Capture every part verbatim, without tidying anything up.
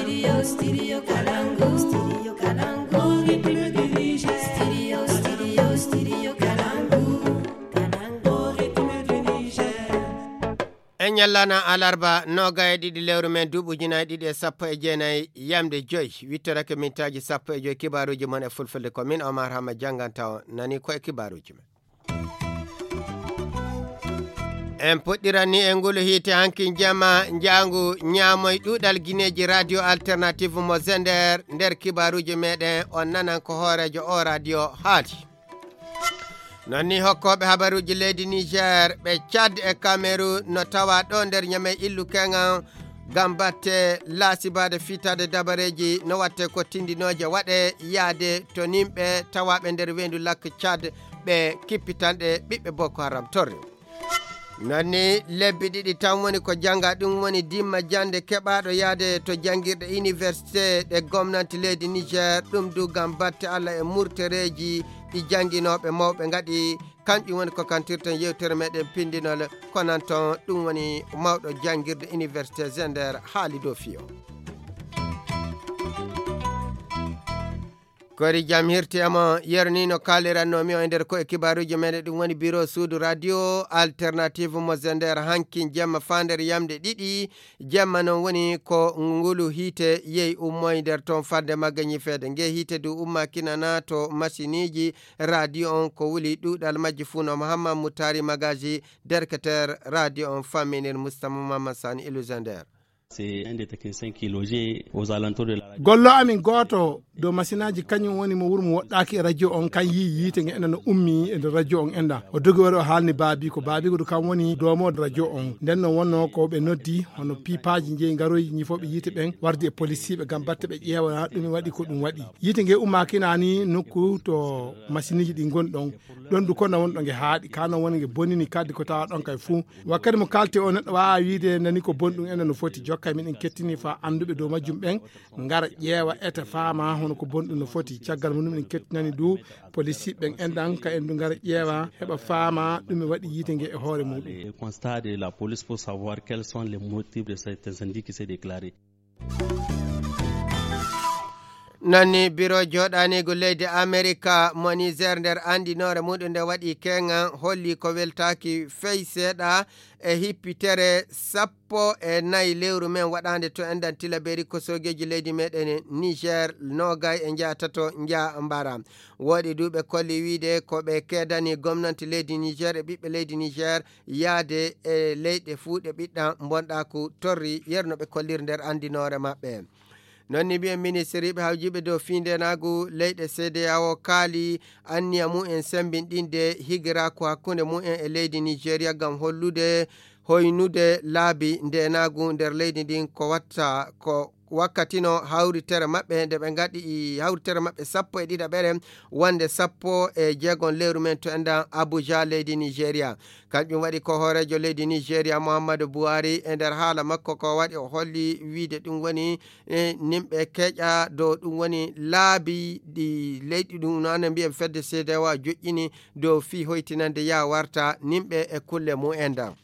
Studio, studio Kalangu, studio Kalangu, rythme du Niger. Studio, studio, studio Kalangu, Kalangu, rythme du Niger. En ñallana alarba noga e ɗiɗi lewru men duuɓi ujunaaji ɗiɗi e sappo e jeenayi, yamde joyi, wittorake mintaaji sappo e joyi, kibaaruuji mon e fulfulde. Ko min Omar Hama jannganta on, nani ko e kibaaruuji men. En puɗɗirani e ngulu hiite hankin jama njaangu ñaamoy ɗuuɗal gineeji radio alternative mo Zender. Nder kibaaruuji meɗen on nanan ko hooreejo o radio haali. Non ni hokkooɓe habaruuji leydi Niger ɓe Tchad e Cameroun no tawa ɗo nder ñame illu keŋan ngam batte laasibaade fitaade dabareeji no watte ko tindinooje waɗe yaade to nimɓe tawaaɓe nder weendu lakk Tchad ɓe kippitanɗe ɓiɓɓe Boko Haram torre. Non ni lebbi ɗiɗi tan woni ko jannga, ɗum woni dimma jannde keɓaaɗo yaade to janngirɗe université ɗe gomnanti leydi Niger, ɗum du ngam batte Allah e murtereeji ɗi jannginooɓe mawɓe ngaɗi. Kanƴum woni ko kantirten yewtere meɗen pindinol, ko nan ton ɗum woni mawɗo janngirde université Zender haali dow fiyo. Kori jam hirti e mo yerni no kaaliranno mi o e nder ko e kibaaruuji meɗen, ɗum woni biro suudu radio alternative mo Zender hankin jemma faa nder yamde ɗiɗi jemma. Non woni ko ngulu hiite yehi ummoy nder ton fadde magga ñifeede. Nge hiite du umma kinana to masiniji radio on ko wuli ɗuuɗal majji fuu no Muhammad Mutari Magaji, derketer radio on famminir Mustafa Muhammad Sani Ilu Zender. C'est un des techniciens qui est logé aux alentours de la radio. Gollo amin gooto dow masinaaji kañum woni mo wuro mo woɗɗaaki e radio on, kan yii yiite nge enda no ummi e nder radio on enda. O dogi wari o haalni baabiiko. Baabiiko du kam woni doomo radio on. Nden no wonno ko ɓe noddi hono piipaaji jeyi ngaroyi ñifooɓe yiite ɓen wardi e polisiiɓe ngam batte ɓe ƴeewa ɗum waɗi ko ɗum waɗi. Yiite nge ummaaki naani nokku to masiniji ɗi ngoni ɗon. Ɗon du kono woni ɗo nge haaɗi, kano woni nge bonini kaddi ko tawa ɗon kay fuu. Wakkati mo kalti o neɗɗo waawa wiide nani ko bonɗum ena no foti. Jokka miɗen kettini fa annduɓe dow majjum ɓen ngara ƴeewa eta faama hono ko bonɗum no foti. Caggal mum miɗen kettinani du polisiɓe ɓen enɗan ka en du ngara ƴeewa heɓa faama ɗum e waɗi yiite nge e hoore muɗum. Le constat de la police pour savoir quels sont les motifs de cet incendie qui s'est déclaré. Nani biro joɗanigo leydi Amerika mo Niger nder andinore muɗum nde waɗi keŋan holli ko weltaki fey seeɗa e hippitere sappo e nayi lewru men waɗande to endan tilaberi ko sogeji leydi meɗen Niger nogay e njaatato nja mbara. Woɗi duɓe kolli wiide ko ɓe kedani gomnanti leydi Niger e ɓiɓɓe leydi Niger yaade e leyɗe fuu ɗe ɓiɗɗan bonɗaaku torri, yerno ɓe kollir nder anndinoore maɓɓe. Non ni mbiyen ministiriiɓe hawjiiɓe dow fii ndeenaagu leyɗe C D A O kaali anniya mumen semmbinɗinde higiraaku hakkunde mumen e leydi Nigeria ngam hollude hoynude laabi ndeenaagu nder leydi ndin ko watta ko wakkatino hawritere maɓɓe nde ɓe ngaɗi hawritere maɓɓe sappo e ɗiɗaɓere wonde sappo e jeegon lewru men to enɗan Abuja leydi Nigeria. Kanƴum waɗi ko hooreejo leydi Nigeria Muhammadu Buhari e nder haala makko ko waɗi o holli wiide ɗum woni e nimɓe keƴa dow ɗum woni laabi ɗi leyɗi ɗum no anen mbiyen fedde C D A O joƴƴini dow fii hoytinande yaa warta nimɓe e kulle mumen ɗan.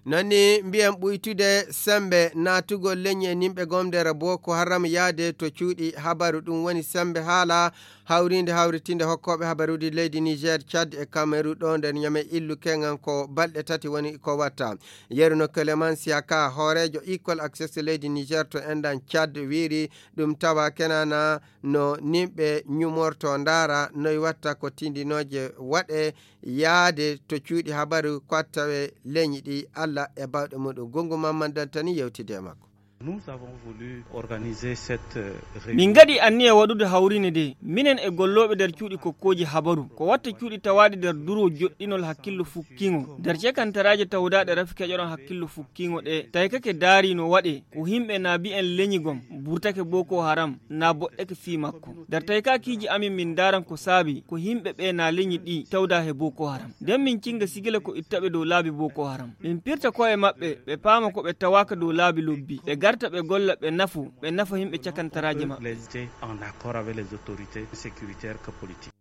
Nani mbiyen ɓuytude sembe naatugol leñi e nimɓe gomdere Boko Haram yaade to cuuɗi habaru ɗum woni sembe haala hawrinde hawritinde hokkooɓe habaruuji leydi Niger, Tchad e Cameroun ɗo nder ñame illu keŋan ko balɗe tati woni ko watta. Yeruno Clément Siaka hooreejo Equal Access leydi Niger to enɗan Tchad wiiri ɗum tawa kenana no nimɓe ñumorto ndaara noy watta ko tindinooje waɗe yaade to cuuɗi habaru ko attawe leñi ɗi Allah e bawɗe muɗum. Gongu Mamman Dantani yewtide e makko. Nous avons voulu organiser cette, euh, réunion. Min ngaɗi anniya waɗude hawrine nde minen e gollooɓe nder cuuɗi kokkooji habaru ko watta cuuɗi tawaaɗi nder duro joɗɗinol hakkillo fukkiŋo nder cekantaraaje tawdaaɗe rafi keƴoɗon hakkillo fukkiŋo ɗe taykake daari no waɗe ko himɓe na mbiyen leñi gom burtake Boko Haram na boɗɗake fii makko. Nder taykakiiji amin min ndaaran ko saabi ko yimɓe ɓe na leñi ɗi tawda he Boko Haram. Nden min cinga sigila ko ittaɓe dow laabi Boko Haram. Min pirta ko'e maɓɓe, ɓe paama ko ɓe tawaaka dow laabi lobbi. Ɓe garta ɓe golla, ɓe nafu, ɓe nafa yimɓe cakantaraaji maɓɓe. Les en accord avec les autorités sécuritaires que politiques.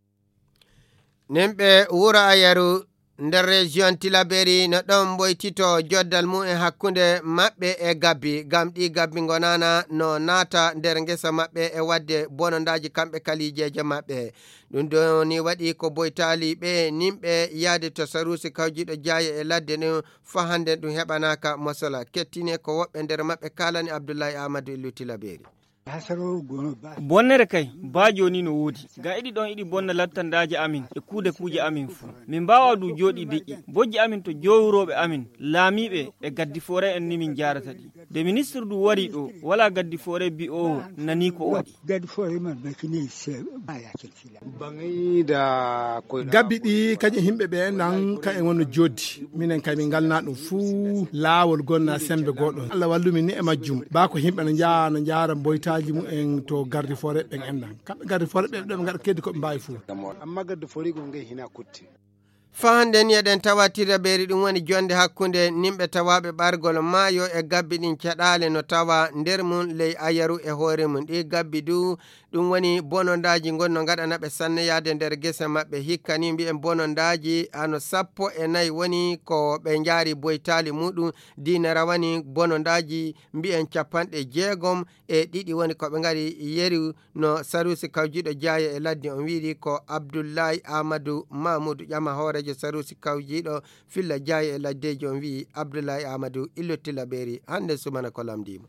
Nimɓe wuro Ayaru Nder région Tilaberi no ɗon mboytito joddal mum e hakkunde maɓɓe e gabbi, ngam ɗi gabbi ngonana no naata nder ngesa maɓɓe e waɗde bonondaaji kamɓe kalijeeje maɓɓe. Ɗum ɗo ni waɗi ko boytaali ɓe nimɓe yahde to saruusi kawjiiɗo jaaye e ladde ɗum faa hannde ɗum heɓanaaka mosola. Kettine ko woɓɓe nder maɓɓe kaalani Abdullahi Aamadu Illu Tilaberi. Bonnere kay, baa jooni no woodi. Ngam iɗi ɗon iɗi bonna lattandaaje amin e kuude kuuje amin fuu. Min mbaawaa du jooɗii deƴƴi. Bojji amin to jowrooɓe amin, laamiiɓe e gaddi foore en ni min njaarata ɗi. Nde ministir du wari ɗo, walaa gaddi foore bi'oowo nanii ko o waɗi. Gabbi ɗi kañum yimɓe ɓe enɗan, ka en wonno joddi. Minen kay min ngalna ɗum fuu laawol gonna sembe goɗɗo. Allah wallu min ni e majjum. Ba ko yimɓe no njaa, no njaara mboytaaji mumen to gardi foore ɓen enɗan. Kamɓe gardi foore ɓe, ɓe ngaɗa keddi ko ɓe mbaawi fuu. Amma gaddi foore gol ngey hina kutti. Faa hannde ni eɗen tawa Tirabeeri, ɗum woni jonde hakkunde nimɓe tawaaɓe ɓargol maayo e gabbi ɗin caɗaale no tawa nder mum ley ayaru e hoore mum. Ɗi gabbi du, ɗum woni bonondaaji ngon no ngaɗana ɓe sanne yahde nder gese maɓɓe. Hikka ni mbi'en bonondaaji hano sappo e nayi woni ko ɓe njaari boytaali muɗum, diina rawani bonondaaji mbi'en capanɗe jeegom e ɗiɗi woni ko ɓe ngari yeru no saruusi kawjiiɗo jaaye e ladde on wiiri ko Abdullahi Amadou Mamoudou Ƴama hooreejo saruusi kawjiiɗo filla jaaye e laddeeji on wi'i Abdullahi Amadou Illo Tilaberi hannde sumana ko lamndiimo.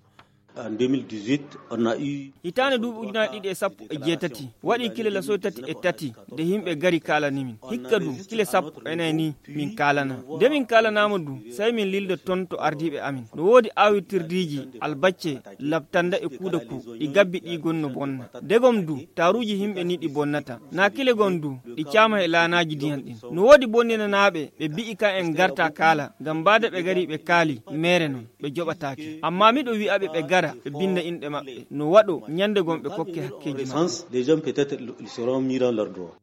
En deux mille dix-huit, on a eu Hitaande duuɓi ujunaaji ɗiɗi e sappo e jeetati, waɗi kile lasoy tati e tati, nde yimɓe ngari kaalani min. Hikka du, kile sappo e nayi ni min kaalana. Nde min kaalanaama du, sey min lilda ton to ardiiɓe amin. No woodi aawirtirdiiji, albacce, labtanda e kuuda ku, ɗi gabbi ɗi gon no bonna. Degom du, taaruuji yimɓe ni ɗi bonnata. Naa kile gon du, ɗi caama e laanaaji ndiyan ɗin. No woodi bonninanaaɓe, ɓe bi'i ka en ngarta kaala, ngam mbaade ɓe ngari ɓe kaali, meere non. Ɓe joɓataake. Ammaa miɗo wi'aɓe ɓe ngara, ɓe binda inɗe maɓɓe. No waɗo, nyande gom ɓe kokke hakkeeji maɓɓe. Défense, les gens peut-être ils seront mis dans leurs droits.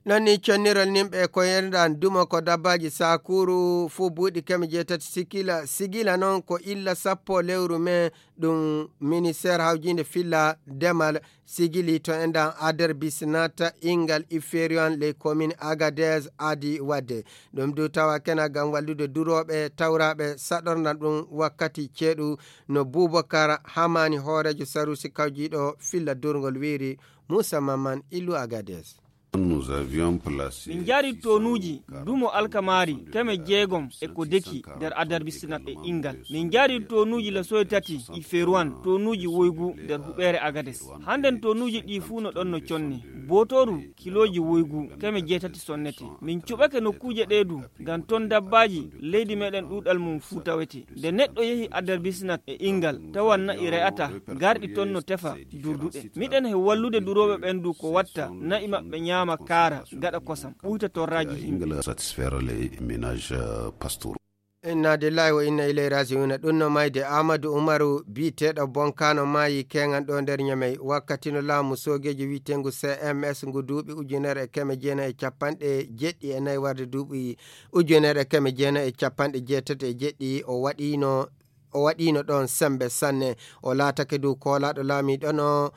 Non ni connirol nimɓe ko yerdan dumo ko dabbaaji saakuru fuu buuɗi keme jeetati sikila, sigila non ko illa sappo lewru mee ɗum ministeer hawjiinde filla demal sigili to enɗan Aderbisnat, Ingal, Iferiwan, les communes Agadez adi wadde. Ɗum du tawa kena ngam wallude durooɓe tawraaɓe saɗorna ɗum wakkati ceeɗu no Bubakar Hamani hooreejo saruusi kawjiiɗo filla durngol wiiri Muusa Mamman Illu Agadez. Nous avions placé Min njaari tonuuji dumo alkamaari keme jeegom e ko deki nder Aderbisnat e Ingal. Min njaari tonuuji lasoy tati Iferuwan, tonuuji woygu nder huɓeere Agades. Hannden tonuuji ɗi fuu no ɗon no conne. Bootooru kilooji woygu keme jeetati sonnete. Min cuɓake nokkuuje ɗee du, ngam ton dabbaaji leydi meɗen ɗuuɗal mum fuu tawete. Nde neɗɗo yehi Aderbisnat e Ingal, tawan na'i re'ata, garɗi ton no tefa durduɗe. Miɗen he wallude durooɓe ɓen du ko watta na'i maɓɓe nyaama kaara, gaɗa kosam, ɓuyta torraaji yimɓe. Ingal satisfaire les ménages, euh, pastoraux. Inna lillahi wa inna ilayhi raji'un. Ɗum no mayde Amadou Umaru biyeteeɗo Bonkano maayi keŋan ɗo nder Ñamey. Wakkati no laamu soogeeji wi'eteengu C M S ngu duuɓi ujunere e keme jeenayi e capanɗe jeɗɗi e nayi warde duuɓi ujunere e keme jeenayi e capanɗe jeetati e jeɗɗi, o waɗiino, o waɗiino ɗoon semmbe sanne. O laatake dow koolaaɗo laamiiɗo no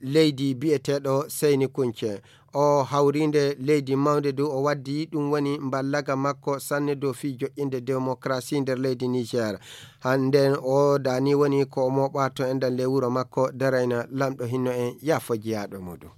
leydi biyeteeɗo Seyni Kunce. O hawriinde leydi mawnde dow o waddi ɗum woni mballaga makko sanne dow fii joƴƴinde demokarasi nder leydi Niger. Hannden o daani woni ko o mooɓa to enɗan ley wuro makko darayna lamɗo hinno en yaafo jeyaaɗo muɗum.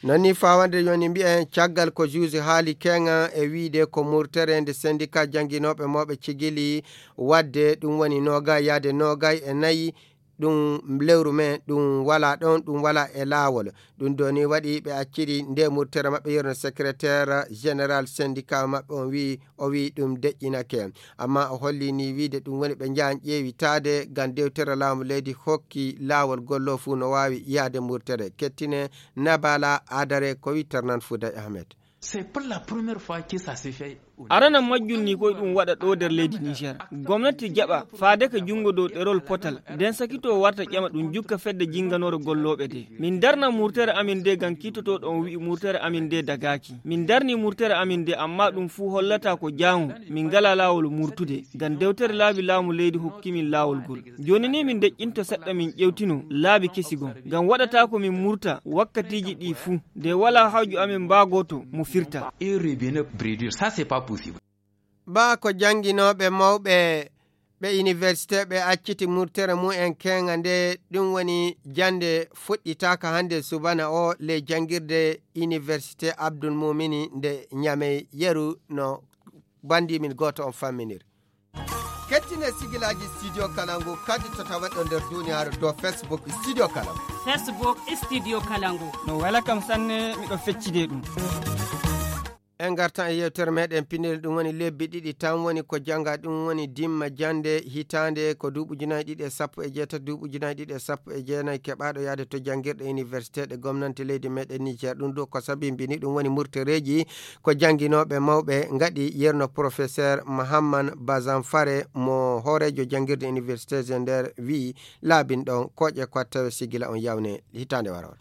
Non ni fawande yoni mbiyen caggal ko juuji haali keŋa e wiide ko murtere nde sendika jannginooɓe mooɓe cigili wadde ɗum woni noogay yaade noogay e nayi ɗum lewru men ɗum wala ɗon, ɗum wala e laawol. Ɗum ɗo ni waɗi ɓe acciri nde murtere maɓɓe yerno secrétaire général syndicat maɓɓe on wi o wi ɗum deƴƴinake. Amma o holli ni wiide ɗum woni ɓe njahan ƴeewitaade ngam dewtere laamu leydi hokki laawol gollo fuu no waawi yaade murtere. Kettine Nabala Adare ko wi Ternan Fouday Ahmed. C'est pour la première fois que ça se fait. Arana majjum ni koye ɗum waɗa ɗo nder leydi Niger. Gomnati jaɓa faade ka junngo dow ɗerol potal, nden sakitoo warta ƴama ɗum jukka fedde jinnganoore gollooɓe de. Min darna murtere amin de ngam kiitotooɗo on wi'i murtere amin de dagaaki. Min darni murtere amin de, amma ɗum fuu hollata ko jaamu. Min ngalaa laawol murtude, ngam dewtere laabi laamu leydi hokki min laawol ngol. Jooni ni min deƴƴinto seɗɗa min ƴewtino laabi kesi gon. Ngam waɗataa ko min murta wakkatiiji ɗi fuu, de walaa hawju amin mbaagoto mo firta. Et revenir brédir, ça c'est pas possible. Ba ko jannginooɓe mawɓe ɓe université ɓe acciti murtere mumen keŋa nde ɗum woni jannde fuɗɗitaaka hannde subana o ley janngirde université Abdul Mumini nde Ñamey yeru no banndi min gooto on famminir. Kettine sigilaaji Studio Kalangu kadi to taweɗo nder duniyaaru dow Facebook Studio Kalangu. Facebook Studio Kalangu. No wela kam sanne, miɗo feccide ɗum. En ngartan e yewtere meɗen pinel, ɗum woni lebbi ɗiɗi tan woni ko jannga, ɗum woni dimma jannde hitaande ko duuɓi ujunaaji ɗiɗi e sappo e jeetati, duuɓi ujunaaji ɗiɗi e sappo e jeenayi, keɓaaɗo yahde to janngirɗe université ɗe gomnante leydi meɗen Niger. Ɗum ɗo ko sabimbini, ɗum woni murtereeji ko jannginooɓe mawɓe ngaɗi, yerno professeur Mahamman Bazanfare mo hooreejo janngirde université Zender wi'i laabin ɗon koƴe ko tawe sigila on yawne hitaande waro.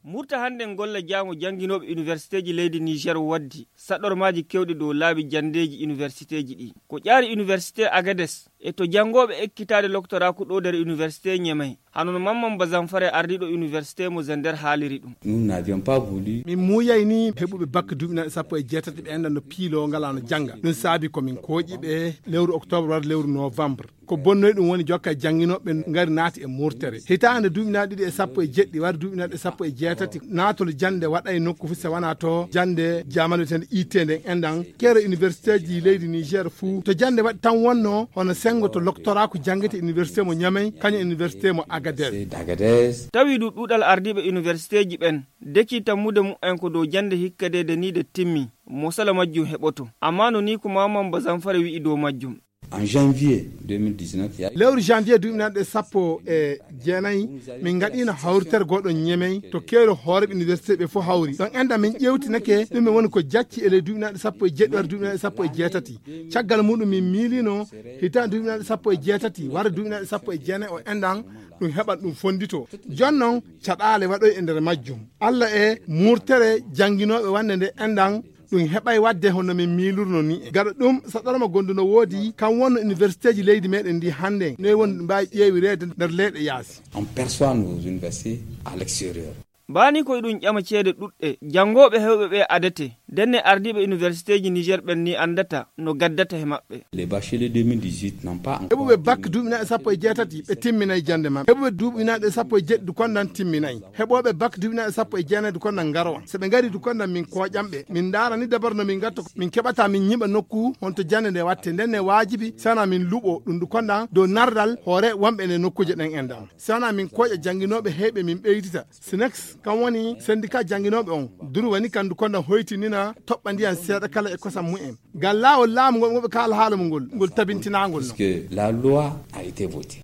Murta hannde golla jaamu jannginooɓe universitéji leydi Niger waddi saɗormaaji keewɗi dow laabi janndeeji universitéji ɗi. Ko ƴaari université Agades e to janngooɓe ekkitaade loktoraaku ɗo nder université Ñemey, hano no Mamman Bazanfare ardiiɗo université mo Zender haaliri ɗum. Nous n'avions pas voulu. Min muuyay ni heɓuɓe bac duuɓi naɓe sappo e jeetati ɓe enɗan no piilo ngala no jannga. Ɗum saabi ko min kooƴi ɓe lewru octobre wara lewru novembre. Ko bonnoy ɗum woni jokka e jannginooɓe ngari naati e murtere. Hitaande duuɓi naɓe ɗiɗi e sappo e jeɗɗi wara duuɓi naɓe sappo e jeetati, naatol jannde waɗay nokku fof so wonaa to jannde jaamanu wiyetende I T nden enɗan. Keero universitéji leydi Niger fuu to jannde waɗi tan wonno, hono senngo to loktoraaku janngete université mo Ñamey, kañum université mo Agadez. Tawi du ɗuuɗal ardiiɓe universitéji ɓen deki tammude mumen ko dow jannde hikka de de ni de timmi, mosala majjum heɓoto. Amma no ni ko Mamman Bazanfare wi'i dow majjum. En janvier deux mille dix-neuf, il y a lewru janvier duuɓi naɓe sappo e jeenayi, min ngaɗiino hawritere gooto Ñemey to keero hooreeɓe université ɓe fof hawri. Ɗon enɗan min ƴeewtinake ɗum e woni ko jacci e ley duuɓi naɓe sappo e jeɗɗi wara duuɓi naɓe sappo e jeetati. Caggal muɗum min miiliino hitaande duuɓi naɓe sappo e jeetati wara duuɓi naɓe sappo e jeenayi o enɗan ɗum heɓan ɗum fonndito. Jooni non caɗaale waɗoy e nder majjum. Alla e murtere jannginooɓe wannde nde enɗan ɗum heɓay waɗde hono min miilurno ni. Gaɗa ɗum, saɗorma gondu no woodi, kan wonno universitéji leydi meɗen ndi hannde, noy woni ɗum mbaawi ƴeewireede nder leyɗe yaasi. On perçoit nos universités à l'extérieur. Mbaani ko eɗum ƴama ceede ɗuɗɗe, janngooɓe heewɓe ɓe adete, ndenne ardiiɓe universitéji Niger ɓen ni anndata no gaddata he maɓɓe. Les bacheliers deux mille dix-huit n'ont pas encore. Heɓuɓe bac duuɓi naɓe sappo e jeetati, ɓe timminay jannde maɓɓe. Heɓuɓe duuɓi naɓe sappo e jeɗɗi, du kondan timminay. Heɓooɓe bac duuɓi naɓe sappo e jeenayi, du kondan ngaro. So ɓe ngari, du kondan min kooƴan ɓe. Min ndaara ni dabar no min ngatto, min keɓata min ñiɓa nokku honto jannde nde watte. Nden ne waajibi sana min luɓo ɗum, du kondan dow nardal hoore wonɓe e nokkuuje ɗen enɗan. Sana min kooƴa jannginooɓe heyɓe min ɓeydita. Sinex, kan woni syndicat jannginooɓe on. Duru woni kan du kondan hoytinina toɓɓa ndiyan seeɗa kala e kosam mumen. Ngal laawol laamu ngol, ngoɓe kaala haala mum ngol, ngol tabintinaangol non. Puisque la loi a été votée.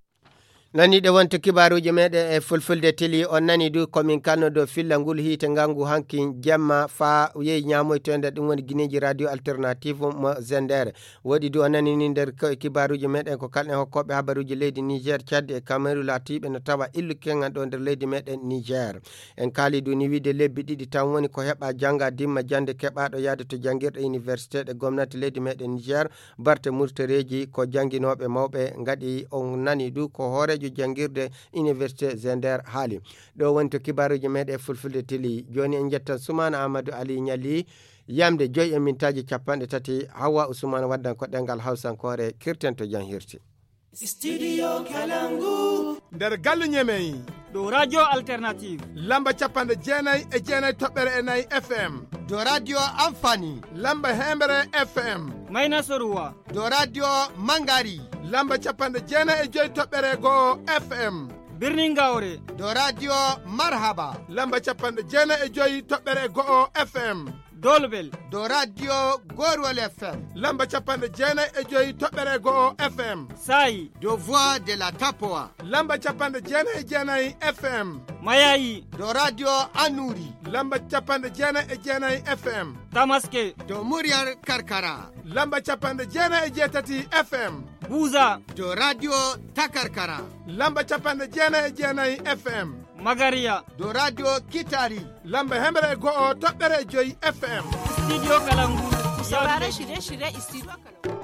Nani ɗe wonto kibaaruuji meɗen e fulfulde tili, on nani du ko min kanno dow filla ngol hiite ngangu hanki jemma faa yehi ñaamoyto e nder ɗum woni gineeji radio alternative mo Zender. Woɗi du on nani ni nder ko-, kibaaruuji meɗen ko kalɗen hokkooɓe habaruuji leydi Niger, Tchad e Cameroun laatiiɓe no tawa illu keŋan ɗo nder leydi meɗen Niger. En kaali du ni wiide lebbi ɗiɗi tan woni ko heɓa jannga dimma jannde keɓaaɗo yahde to janngirɗe université ɗe gomnati leydi meɗen Niger, barte murtereeji ko jannginooɓe mawɓe ngaɗi. On nani du ko hooreejo janngirde université Zender haali. Ɗo woni to kibaaruuji meɗen fulfulde tili. Jooni en njettan Sumaana Amadou Ali Ñalli, yamde joyi e mintaaji capanɗe tati, Hawwa Usman waddan ko ɗemngal Hawsankoore, kirten to jam hirti. Studio Kalangu. Nder galle Ñemey. Ɗo Radio Alternative. Lamba capanɗe jeenayi e jeenayi toɓɓere e nayi F M. Ɗo Radio Amfani. Lamba heembere F M. Mayna Soruwa. Ɗo Radio Mangari. Lamba capanɗe jeenayi e joyi toɓɓere go'o F M. Birnin Gawre. Ɗo Radio Marhaba. Lamba capanɗe jeenayi e joyi toɓɓere go'o F M. Dolbel. Do radio Gorwal F M. Lamba capanɗe jeenayi e joyi toɓɓere go'o F M. Saayi. Do Voix de la Tapoa. Lamba capanɗe jeenayi e jeenayi F M. Mayayi. Do radio Anuri. Lamba capanɗe jeenayi e jeenayi F M. Tamaske. Do Muryar Karkara. Lamba capanɗe jeenayi e jeetati F M. Buza. Do radio Takarkara. Lamba capanɗe jeenayi e jeenayi F M. Magariya. Do radio Kitari. Lamba hemre e go'o toɓɓere e joyi F M. Studio Kalangu. Saurare shirye-shirye Studio Kalangu.